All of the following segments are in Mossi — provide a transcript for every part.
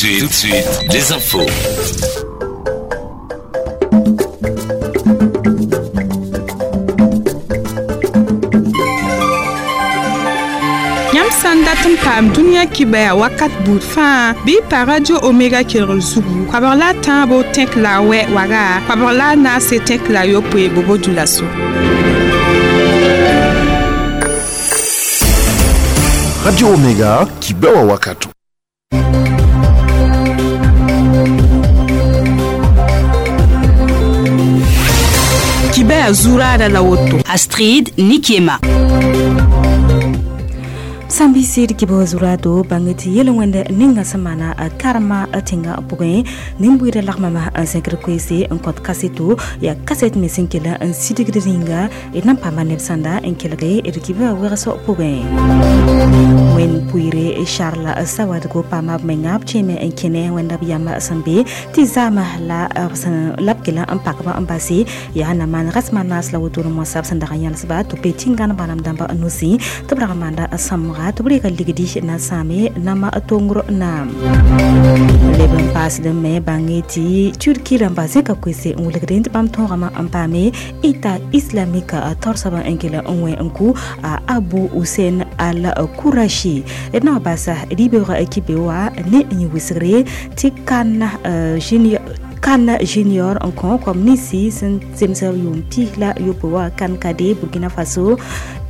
Tout de suite, les infos. Yãmb sã n dat n paam dũniyã kibaya wakat buud fãa bɩ y pa Radio Omega kelgr zugu koabg la a tãabo tẽk la a wɛ waga koabg la a naase tẽk la a yopoe bobo dulaso. Radio Omega kibewa wakato. Kibaya zuraada la woto. Astrid Nikiema. Sãn bɩ sɩd kɩbg zurado bãng tɩ yel-wẽnd ninga sẽn maana karma tẽngã pʋgẽ nin-buiidã lagmame n zẽkd koeese n kõt kaseto yaa kaset me sẽn kell n sidgd rĩnga d na n paama neb sãnda n kelge d kibã wegs pʋgẽ wẽnd pʋɩɩre Charles Sawadgo paama b menga b kẽeme n kẽne wẽnda b yam sẽn be tɩ zaama la b kell n pakba n base yaa na maan rasmã naas la wotone moasã b sẽn dag n yãlsba tɩ be tĩngãn bãnam dãmb nusẽ tɩ b rag n maanda sãmga tɩ b rega ligdi na sãame nama tongr naam leb n paasd me bãnge tɩ Turki rãmba zẽka koese n wilgdẽ tɩ bãmb tõogame n paame État islamique taoor soabã n kell n wẽ n kʋ Abu Hussein al Kourachi d na wa basa rɩ-beoogã kibe wa ne n yẽ wɩsgre tɩ kan junior n kõ kom ninsi sẽn zems yʋʋm pis la yopoe wa kan kade Burkina Faso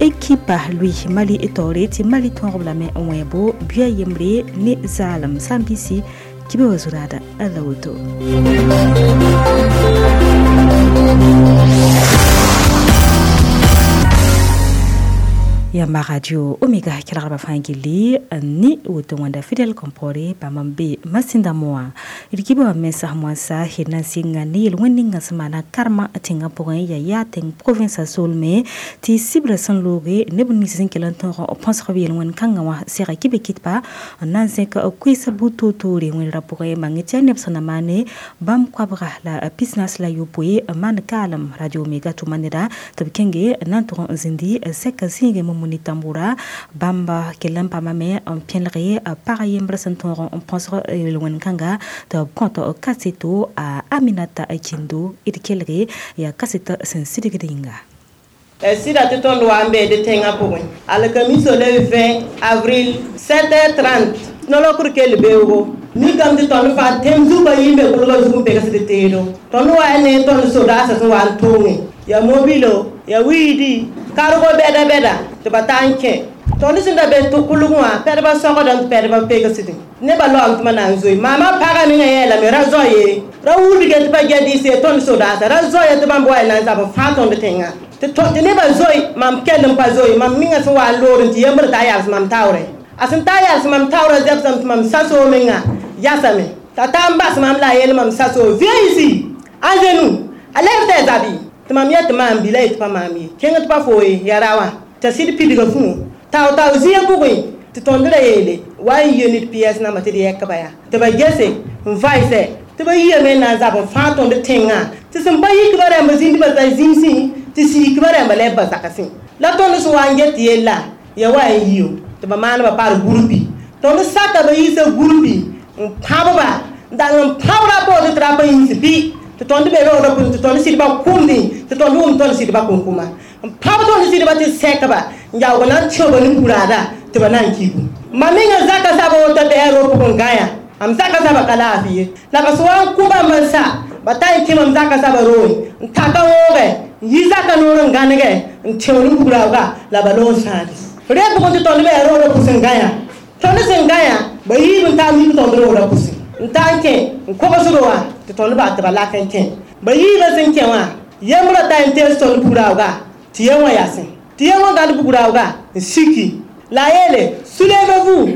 ekipa lui Mali taoore tɩ Mali tõogb lame n wẽebo buia yembre ne zaalem sã n bɩsi kɩbe wa zuraada la woto. Yamba Radio Omega kelgrba fãa gilli ne woto wãnda Fidel Compaoré bãmb n be masẽnda moã d kibã wã mensã moasã d na n sɩnga ne yel-wẽnd ninga sẽn maana karmã tẽngã pʋgẽ yaa yaa tẽng province solme tɩ sibrã sẽn looge neb nins sẽn kell n tõog n põsg b yel-wẽnd kãngã wã sega kibe kɩtba n na n zẽk koeesã buud toor-toore wẽnra pʋgẽ bãng tɩ yaa neb sẽn na maane bãmb koabga la pisnaas la yopoe n maan kaalem Radio Omega tʋma neda tɩ b kẽnge n na n tʋg n zĩndi sɛka zĩigẽ moni tambura bãmb kell n paamame n pẽlge pag yembr sẽn tõog n põsg yel-wẽnd kãnga tɩ b kõt kaseto a Aminata Kindo d kelge yaa kasetã sẽn sidgd yĩnga. Sɩda tɩ tõnd wa n beede tẽngã pʋgẽ alkamiso le 20 avril 7h30 nolokr kell beoogo mikame tɩ tõnd fãa tẽm zugã yĩmbe kʋlgã zug n pegsd teedo tõnd wa ya ne tõnd sodaasã sẽn wa n toongẽ ya mobilo ya wiidi kargo bɛda bɛda tɩ ba taa n kẽ tõnd sẽn da be tɩ kʋlg wã pɛdbã sogdã tɩ pɛdbã pegsdẽ nebã laoom tɩ ma na n zoe maamã pagã mengã yeelame ra zoa ye ra wulge tɩ pa gɛdɩɩs tõnd sodaasã ra zoa tɩ bãmb wa ya na n zab n fãa tõnd tẽngã tɩ nebã zoe mam kell n pa zoe mam mengã sẽn wa n loor n tɩ yembr t'a yals mam taoorẽ a sẽn taa yals mam taoorã zɛbsame tɩ mam sasoo mengã yasame t'a taa n bas mam la a yeel mam sasoo viens ici à genoux a lɛb tɩ a zabi tɩ mam yet tɩ maam bila ye tɩ pa maam ye kẽng tɩ pa foo ye yaa ra wã t'a sɩd pidga fũu tao tao zĩig pʋgẽ tɩ tõnd ra yeele wa n yɩ ned piɛs namba tɩ d yɛkba yaa tɩ ba gese n vaɩsɛ tɩ ba yiame n na n zab n fãa tõnd tẽngã tɩ sẽn pa yikba rãmba zĩndbã t'a zĩmsẽ tɩ siikba rãmba lɛb ba zagsẽ la tõnd sẽn wa n get tɩ yella ya wa n yio tɩ ba maanba par gurpi tõnd saka ba yiisa gurpi n pãbba n dag n pãbra poore tɩ ra pa yĩns bɩ tɩ tõnd be roogdã pʋgẽ tɩ tõnd sɩdba kʋmdẽ tɩ tõnd wʋm tõnd sɩdba kʋnkʋma n pãb tõnd sɩdba tɩ sɛkba n yaoog na n tẽoba ne kuraada tɩ ba na n kigu mam menga zaka saba woto bɩa ro pʋgẽ gãya am zaka saba ka laafɩ ye la ba sẽn wa n kʋ bãmb n sa ba ta n kẽ mam zaka saba roe n taka wooge n yi zaka noor n gãnege n tẽo ne kuraooga la ba loog n sãade re pʋgẽ tɩ tõnd bɩa roogdã pʋs n gãya tõnd sẽn gãya ba yiib n taa mik tõnd roogdã pʋsẽ n taa n kẽ n kogsdo wã tɩ tõnd baa tɩ ba lak n kẽ ba yiibã sẽn kẽ wã yembrã ta n tees tõnd bugraooga tɩ yẽ wã yasẽ tɩ yẽ wã gãd bugraooga n siki la a yeele soulevez-vous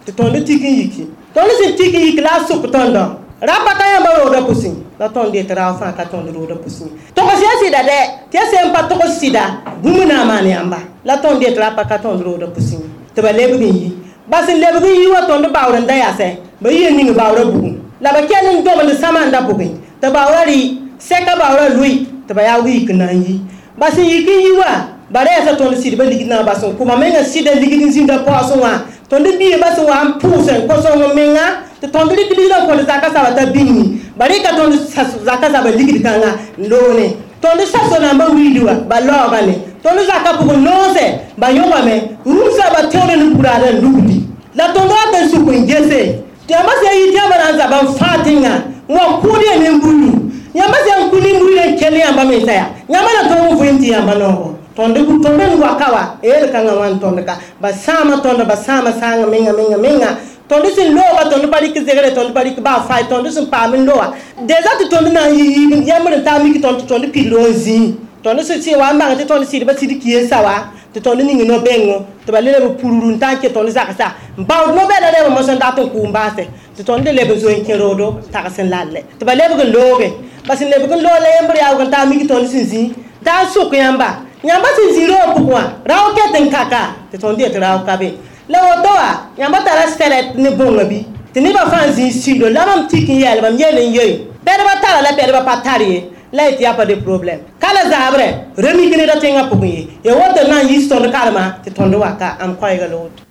tɩ tõnd tik n yiki tõnd sẽn tik n yik la a sʋk tõndã rapa ka yãmba roogdã pʋsẽ la tõnd yetɩ raoog fãa ka tõnd roogdã pʋsẽ togs ya sɩda dɛ tɩ ya sẽn pa togs sɩda bũmb na n maan yãmba la tõnd yetɩ rapa ka tõnd roogdã pʋsẽ tɩ ba lebg n yi ba sẽn lebg n yi wa tõnd baoor n da yasɛ ba yɩ ning baoorã bugum la ba kell n dobend sãmanda pʋgẽ tɩ baoorã rɩ sɛka baoorã lʋɩ tɩ ba yaa wiik n na n yi ba sẽn yik n yi wã ba rɛɛsa tõnd sɩdbã ligd na n bas n kʋ mam menga sɩda ligd n zĩnda paoosẽ wã tõnd biigã sẽn wa n pʋʋs n kõ sõng menga tɩ Tɩ tõnd rɩk ligdã n kõd zaka saba t'a bĩngi ba rɩka tõnd zaka saba ligd kãnga n loone tõnd saso nambã wildi wã ba laoogame tõnd zaka pʋgẽ noose ba yõgame rũmsã ba tẽod ne buraadã n lugdi la tõnd wat n suk n gese tɩ yãmba sã n yit yãmba na n zaba n fãa tẽnga n wa kʋʋd ya nin-buiidu yãmba sã n kʋ nin-buiidã n kell yãmba mensa yaa yãmba na tõog n vɩɩm tɩ yãmba noogo tõnd tõnd n waka wa yel-kãngã wã n tõnd ka ba sãama tõnd ba sãama sãanga menga menga menga tõnd sẽn looga tõnd pa rɩk zegre tõnd pa rɩk baa fay tõnd sẽn paam n loa deza tɩ tõnd na n yi yãmbd n taa mik tõnd tɩ tõnd pid n zĩi tõnd sẽn wa n bãng tɩ tõnd sɩdba sɩd kɩensa wa tɩ tõnd ning no-bẽngo tɩ ba le leb pururu n taa n ke tõnd zagsa n baood no-bɛda rɛɛbã mosã n dat n kʋʋm baase tɩ tõnd leb n zoe n kẽ roodo tags n lalle tɩ ba lebg n looge ba sẽn lebg n loog la yembr yaoog n taa mik tõnd sẽn zĩ taa n sʋk yãmba yãmba sẽn zĩ roog pʋgẽ wã rao ket n kaka tɩ tõnd yet rao ka be la woto wã yãmba tara sɛrɛt ne bõnga bɩ tɩ nebã fãa zĩig sigdo la mam tik n yɛɛl mam yel n yoe pɛdbã tara la pɛdbã pa tar ye la yetɩ yaa pa de problème ka la zaabrɛ remik neda tẽngã pʋgẽ ye ya woto na n yis tõnd karema tɩ tõnd waka am koɛɛga la woto.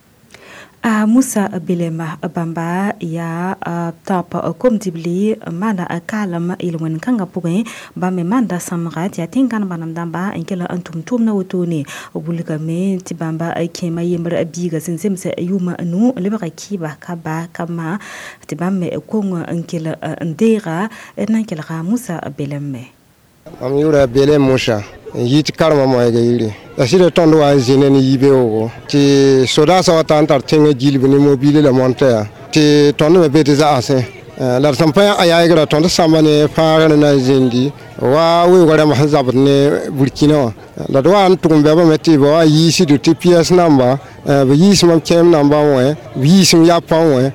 A Musa Belema bãmba yaa top kom-dibli maana kaalem yel-wẽnd kãngã pʋgẽ bãmb me maanda sãmga tɩ yaa tẽn-gãn bãnem dãmba n kell n tʋm tʋʋmdã wotone b wilgame tɩ bãmba kẽema yembr biiga sẽn zems yʋʋma nu n lebga kɩɩba ka ba ka ma tɩ bãmb me kong n kell n deega d na n kelga Musa Belem me. Mam yʋʋra Belem Musa n yit karema moɛɛga yire la sɩda tõnd wa n zĩne ne yibeoogo tɩ sodaasã wa ta n tar tẽngã gilb ne mobile la montã yaa tɩ tõnd me be tɩ zagsẽ la d sẽn pa a yaagra tõnd sãmba ne fãagr na n zĩndi wa weoogã rãmb sẽn zabd ne Burkina wã la d wa n tʋg n bɛbame tɩ ba wa yiisdo tɩ piɛs namba b yiis mam kẽem namba wẽ b yiisem yapã wẽ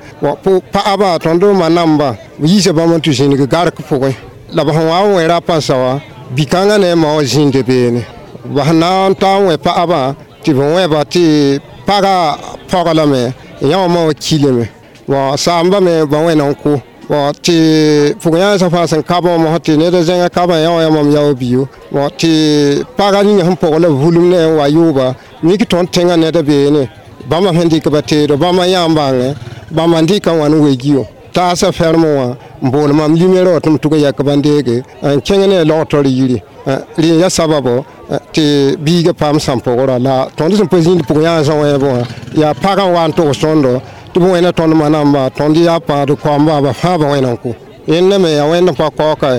paaba tõnd ma namba b yiisa bãmb n tɩ zĩnig gark pʋgẽ la b sẽn wa n wẽ rapã sa wã bi-kãngã ne a ma wã zĩnda beene b sẽn na n ta n wẽ paɣabã tɩ b wẽba tɩ paga pɔg lame yã wã ma wã kilame bɔn saamba me ba wẽna n kʋ bɔn tɩ pʋg-yãensã fãa sẽn ka bãmb tɩ ned zẽngã ka bã yã wã yaa mam yao biyo bɔn tɩ paga ninga sẽn pɔg la vulum ne n wa yʋʋba mik tõnd tẽngã neda beene bãmba sẽn dɩk ba teedo bãmba yã n bãngẽ bãmba n dɩka n wa n wegiyo taasa ferme wã n bool mam limero wã tɩ m tʋg n yɛk bãn-deege n kẽng ne a logtr yiri rẽ ya sababo tɩ biiga paam sãn-pʋgrã la tõnd sẽn pa zĩnd pʋg-yãansã wẽebẽ wã yaa pagã n wa n togs tõndo tɩ b wẽna tõnd manamba tõnd yaa paad koamba ba fãa ba wẽna n kʋ yẽnda me yaa wẽnd n pa kaooka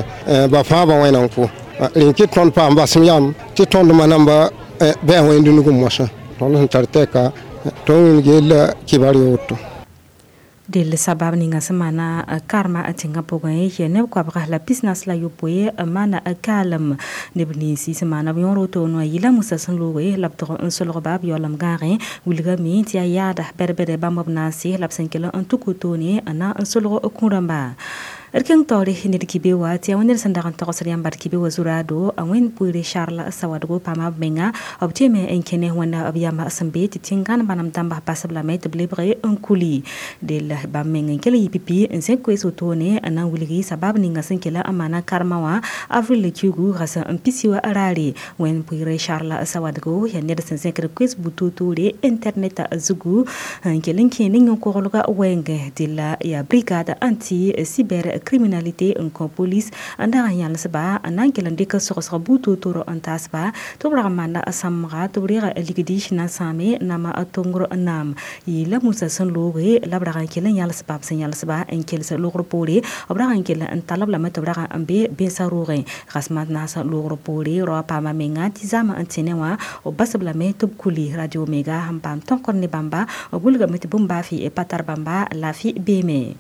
ba fãa ba wẽna n kʋ rẽ kɩ tõnd paam basem yam tɩ tõnd manamba bɩ a wẽnd nugẽ mosã tõnd sẽn tar tɛka tõnd wĩneg yella kibar ya woto. Del sabab ninga sẽn maana karma tẽngã pʋgẽ yɛ neb koabga la pisnas la yopoe maana kaalem neb ninsi sẽn maana b yõor wotone wã yɩla Musa sẽn looge la b tʋg n solgba b yaoolem gãagẽ wilgame tɩ yaa yaada bɛd-bɛd bãmb b naase la b sẽn kell n tuk wotone n na n solg kũ-rãmba. D kẽng taoore ned kibe wa tɩ yaa wẽnd sẽn dag n togsd yãmba d kibe wa zuraado a wẽnd pʋɩɩre Charles Sawadgo paama b menga b tɩme n kẽne wẽnda b yamba sẽn be tɩ tẽn-gãn bãnem dãmba basb lame tɩ b lebg n kuli del bãmb meng n kell n yɩ pipi n zẽk koees wotone n na n wilgi sabab ninga sẽn kell n maana karma wã avril kiugu rasa n pisi wa raare wẽnd pʋɩɩre Charles Sawadgo yaa ned sẽn zẽkd koees butotoore internet zugu n kell n kẽ ne yõ-koglga wɛɛngẽ della yaa brigade anti cyber criminalité n kõ police n dag n yãlesba n na n kell n dɩk sogsg butootoro n taasba tɩ b rag n maanda sãmga tɩ b reega ligdi na n sãame nama tongr naam yɩɩla Musa sẽn looge la b rag n kell n yãlesba b sẽn yãlesba n kels logr poore b rag n kell n talb lame tɩ b rag n be bẽnsã roogẽ rasmã naasã logr poore raoã paama menga tɩ zãma n tẽne wã b basb lame tɩ b kuli Radio Omega sẽn paam tõkr ne bãmba b wilgame tɩ bũmb baa fɩ pa tar bãmba laafɩ beeme.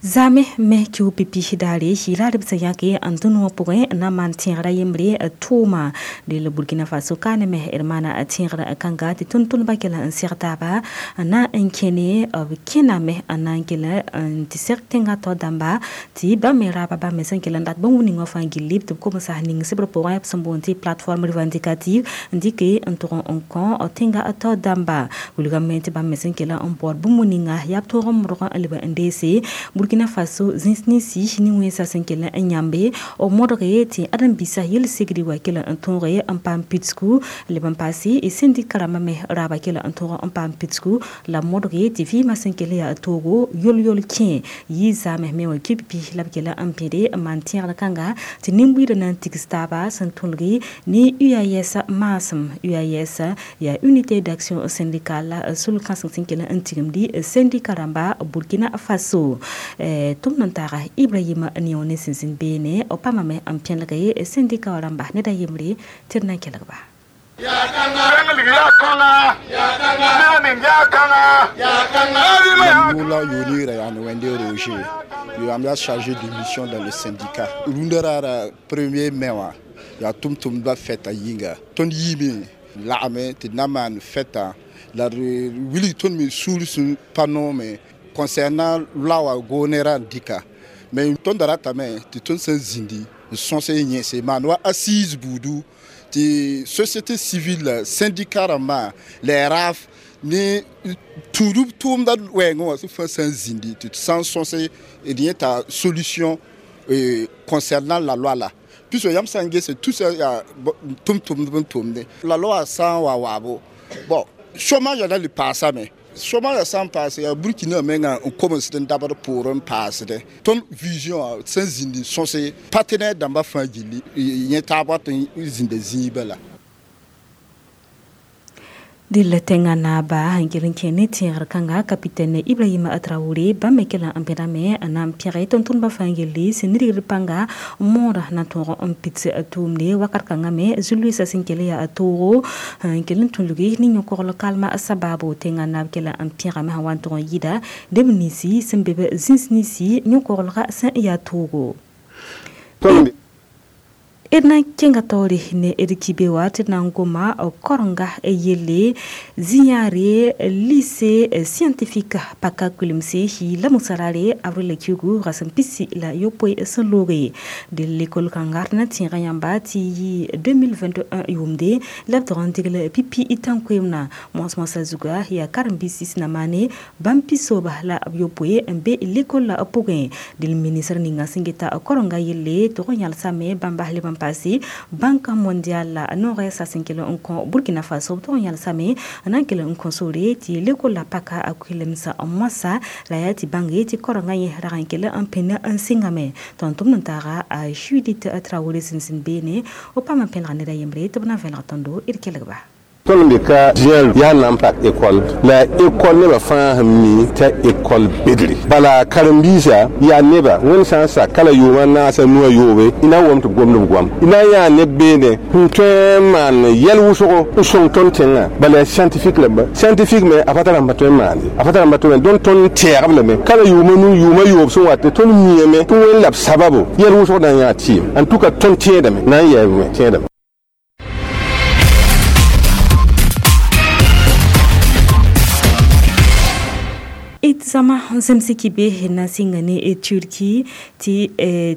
Zame me kiu pipi daare yɩla d b sẽn yãke n dũni wã pʋgẽ n na n maan tẽegra yembre tʋʋma del Burkina Faso kaane me d maana tẽegra kãnga tɩ tʋm-tʋmdbã kell n seg taaba n na n kẽne b kẽname n na n kell n tɩ seg tẽngã tao dãmba tɩ bãmb me raaba bãmb me sẽn kell n dat bũmb ning wã fãa gilli tɩ b komsa ning sebr pʋgẽ b sẽn boond tɩ plateforme revendicative n dɩke n tʋg n kõ tẽngã tao dãmba wilgame tɩ bãmb me sẽn kell n baood bũmb ninga yaa b tõog n modg n leb n deese Burkina Burkina Faso zĩns ninsi ne wẽnsa sẽn kell n yãmbe b modge tɩ ãdem-biisã yel-segd wa kell n tõoge n paam pidsgu leb n paase sẽndika rãmbã me raaba kell n tõog n paam pidsgu la modge tɩ vɩɩmã sẽn kell yaa toogo yol-yol kẽ yɩ zaame me wã kipi la b kell n bẽde n maan tẽegr kãnga tɩ nin-buiidã na n tigs taaba sẽn tõlgi ne UAS maasem UAS yaa unité d'action syndicale sul-kãseng sẽn kell n tigimdi sẽndika rãmba Burkina Faso tʋm n taaga Ibrahima Nione ne sẽn zĩnd beene b paamame n pẽlge sẽndika wã rãmba ned a yembre tɩ d na n kelg-ba. Moula Yoni Rayane Wende Roger, le chargé de mission dans le syndicat. Rundara 1er mai wa ya tum tum ba feta yinga. Ton yimi lagame tɩ na maan fɛta la d wilg tõnd me sũur sẽn pa noome concernant loi wã goonera n dɩka mais tõnd da ratame tɩ tõnd sẽn zĩndi n sõs n yẽse maan wa assise buudu tɩ société civile syndicat rãmbã la RAF ne tũudb tʋʋmda wɛɛngẽ wã sẽn fãa sã n zĩndi tɩ sã n sõse d yẽta solution concernant la loi la puisque yãmb sã n gese tout ça yaa tʋm-tʋmdb n tʋmde la loi sã n wa waabo bon chômage la le paasame chômage sã n paase yaa Burkina menga n komsd n dabd poor n paasdẽ tõnd vision sẽn zĩndi sõse partenaire dãmbã fãa gilli yẽ taab wat n zĩnda zĩigã la. Dɩl tẽngã naaba n kell n kẽ ne tẽegr kãnga capitaine Ibrahima Traoré bãmb me kell n pẽdame n na n pẽge tʋm-tʋmdbã fãa yelle sẽn nidgd pãnga moodã na n tõog n pits tʋʋmde wakat kãngã me zu-loeesã sẽn kell yaa toogo n kell n tũlgi ne yõ-kogl kalma sabaabo tẽngã naab kell n pẽgame sẽn wa n tʋg n yɩɩda neb ninsi sẽn be zĩns ninsi yõ-koglgã sẽn yaa toogo. D na n kẽnga taoore ne d kibe wa tɩ d na n goma korenga yelle zĩ-yãare lycée scientifique paka kulemse la musarare avril kiugu rasem pisi la yopoe sẽn looge dɩ l'école kãnga d na n tẽega yãmba tɩ yɩ 2021 yʋʋmde la b tog n degl pipi tãn-koeemdã moas-moasã zuga yaa karen-biisi sẽn na maane bãmb pisooba la b yopoe n be l'école la pʋgẽ dɩl ministre ninga sẽn geta korenga yelle tog n yãlsame bãmba leb n paase Banque mondiale noorɛ sa sẽn kell n kõ Burkina Faso b tog n yãlsame n na n kell n kõ sore tɩ l'école la paka a kuilemsa moasã la yaa tɩ bãnge tɩ korengã yẽ rag n kell n pẽnd n sɩngame tɩ n tʋmd n taaga a Judith Traoré sẽn zĩnd beene b paam n pẽlga ned a yembre tɩ b na n vẽlg tõndo d kelgba. Tõnd me ka zĩã yaa na n pak école la école nebã fãa sẽn mi t'a école bedre bala karen-biisã yaa neba wẽnd sã n sak ka la yʋʋmã naasã nuwã yoobe y na n wom tɩ b gomd b goam y na n yaa neb beene sẽn tõe n maan yɛl wʋsgo n sõng tõnd tẽngã bala yaa scientifique lame scientifique me a pa tara n pa tõe n maande a pa tara n pa tõe dõnd tõnd tɛɛgb lame ka la yʋʋmã nu yʋʋmã yoob sẽn wat tõnd miame tɩ wẽnd la b sababo yɛl wʋsg na n yaa tɩɩm en tout cas tõnd tẽedame na n yɛɛbme tẽedame. D zãma n zems kibe na n sɩnga ne Turki tɩ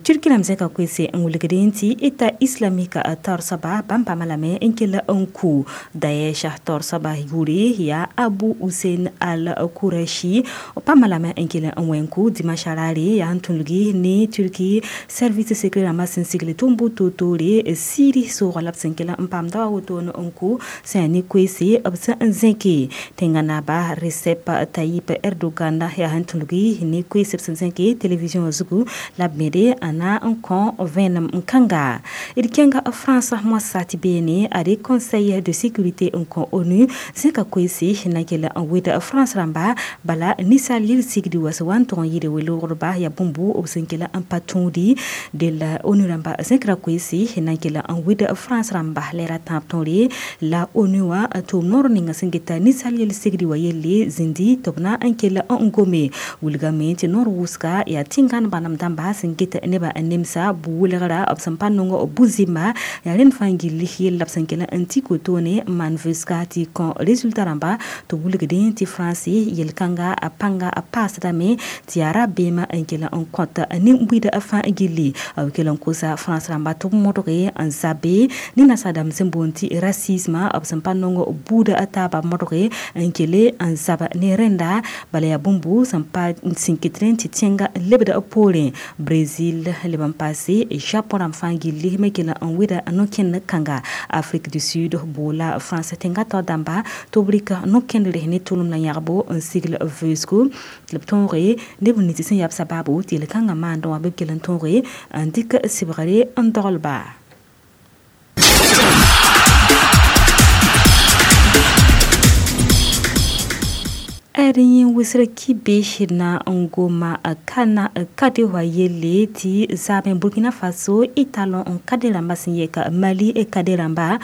Turki rãmb zẽka koeese n wilgdẽ tɩ État islamique taoor soaba bãmb paama lame n kell n kʋ Daesh taoor soaba yʋʋre yaa Abu Hussein al-Qurashi paama lame n kell n wẽn kʋ dimanche raare yaa n tũlgi ne Turki service secret rãmbã sẽn sigl tʋm-bʋ toor-toore Syrie soogã la b sẽn kell n paam da wa woto n kʋ sẽn yaa ne koeese b sẽn n zẽke tẽngã naaba Recep Tayyip Erdogan yaa sẽn tũlgi ne koeese b sẽn zẽke télévision wã zugu la b mede a na n kõ vẽenem n kãnga d kẽnga France moasã tɩ beene a de conseil de sécurité n kõ ONU zẽka koeese na n kell n wed France rãmba bala ninsaal yel-sigdi wa sẽn wa n tʋg n yɩɩd we-loogdba yaa bũmbu b sẽn kell n pa tũudi del ONU rãmba zẽkra koeese na n kell n wed France rãmba la ra tãab tõore la ONU wã tʋʋm noor ninga sẽn geta ninsaal yel-sigdi wa yelle zĩndi tɩ b na n kell n gome wilgame tɩ noor wʋsga yaa tẽngãn bãnem dãmba sẽn get nebã n nemsa bu-welgra b sẽn pa nong bu-zɩmba yaa rẽnd fãa gilli yell la b sẽn kell n tɩ kotoone n maan vʋʋsga tɩ kõ résultat rãmba tɩ wilgdẽ tɩ fãnse yel-kãnga a pãnga a paasdame tɩ yaa rabeemã n kell n kõt nin-buiidã fãa gilli b kell n kosa France rãmba tɩ b modge n zabe ne nasaadãmb sẽn boond tɩ racisme b sẽn pa nong buudã a taaba modge n kele n zab ne rẽnda bala yaa bũmb bũmbu sẽn pa sẽn kɩt rẽ tɩ tẽnga lebda poorẽ. Brazil leb n paase Japon rãmb fãa gilli me kell n wɩda no-kẽnd kãnga. Afrique du Sud boola France tẽnga tao dãmba tɩ b rɩk no-kẽndre ne tʋlem la yãgbo n sigl vʋʋsgo tɩ b tõoge neb nins sẽn yaa b sababu tɩ yel-kãngã maandẽ wã bɩ b kell n tõoge n dɩk sɩbgre n doglba. Yin wʋsr kibe na n goma kana kade wa yelle tɩ zaabẽ Burkina Faso y talon n kade rãmba sẽn yɛka Mali kade rãmba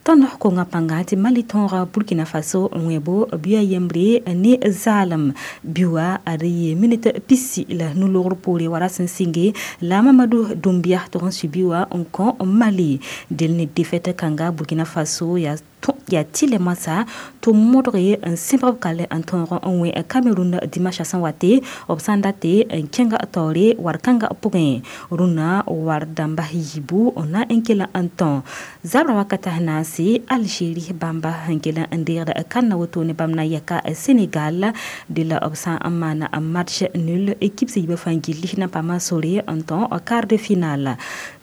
tõnd konga pãnga tɩ Mali tõoga Burkina Faso n wẽbo bia yembre ne zaalem biwa ad yee minit pisi la nu-logr poore wara sẽn sɩnge la Mamadou Doumbia tɩg n sui biwa n kõ Mali del ne defɛt kãnga Burkina Faso yaa tɩ moasã tɩ modge n sẽbg b kale n tõog n wẽ Cameroun dimanche sẽn wa tɩ b sã n date n kẽnga taoore war kãnga pʋgẽ rũnã war dãmba yiibu na n kell n tõ zabrã wakata naase Algérie bãmba n kell n deegd kãnna woto ne bãmb na yɛka Sénégal de la b sã n maana match nul équipe sẽn yiibã fãa gilli na n paam sore n tõ quart de finale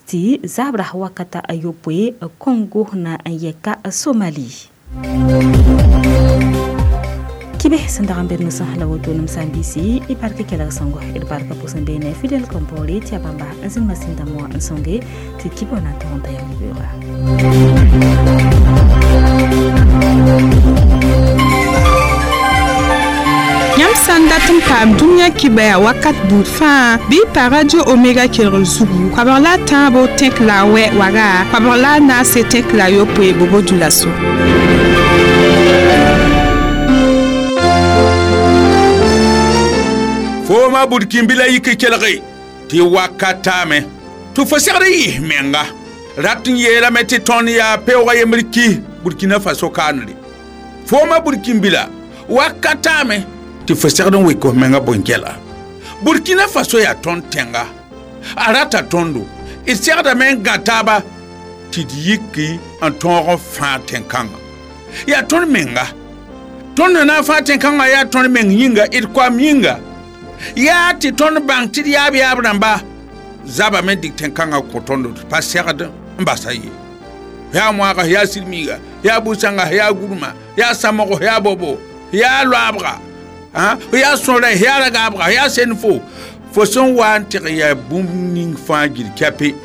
tɩ zabra wakata a yopoe Congo na n yɛka Somalie. Kibe sẽn dag n bed nusã la woto nem sã n biisi y barka kelg sõngo d barka pʋsẽ beene Fidel Compaoré tɩ yaa bãmba n zĩng masĩn dãmb wã n sõnge tɩ kibã na n tog n ta yãmb beooga. Yãmb sã n dat n paam dũniyã kibaya wakat buud fãa bɩ y pa Radio Omega kelgr zugu koabg la a tãabo tẽk la a wɛ waga koabg la a naase tẽk la a yopoe bobo dulaso. Fooma burkĩnbila yik kelge tɩ wakatame tɩ fo segd yɩs menga rat n yeelame tɩ tõnd yaa peoogã yembr ki Burkina Faso kaanre. Fooma burkĩnbila wakatame tɩ fo segd n wɩk f menga bõn-gɛla. Burkina Faso yaa tõnd tẽnga a rata tõndo d segdame n gã taaba tɩ d yiki n tõog n fãag tẽn-kãngã. Yaa tõnd menga tõnd na n fãag tẽn-kãngã yaa tõnd meng yĩnga d koam yĩnga yaa tɩ tõnd bãng tɩ d yaab yaab rãmba zabame dɩk tẽn-kãngã kõ tõndo tɩ pa segd n basa ye. Yaa moaga yaa sɩd-miiga yaa bu-sãnga yaa gurmã yaa samgo yaa bobo yaa loabga yaa sõra yaa ragaabga yaa sen-fo fo sẽn wa n tɩg yaa bũmb ning fãa gil kɛpe.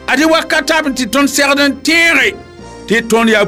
Ad-y wakatame tɩ tõnd segd n tẽege tɩ tõnd yaa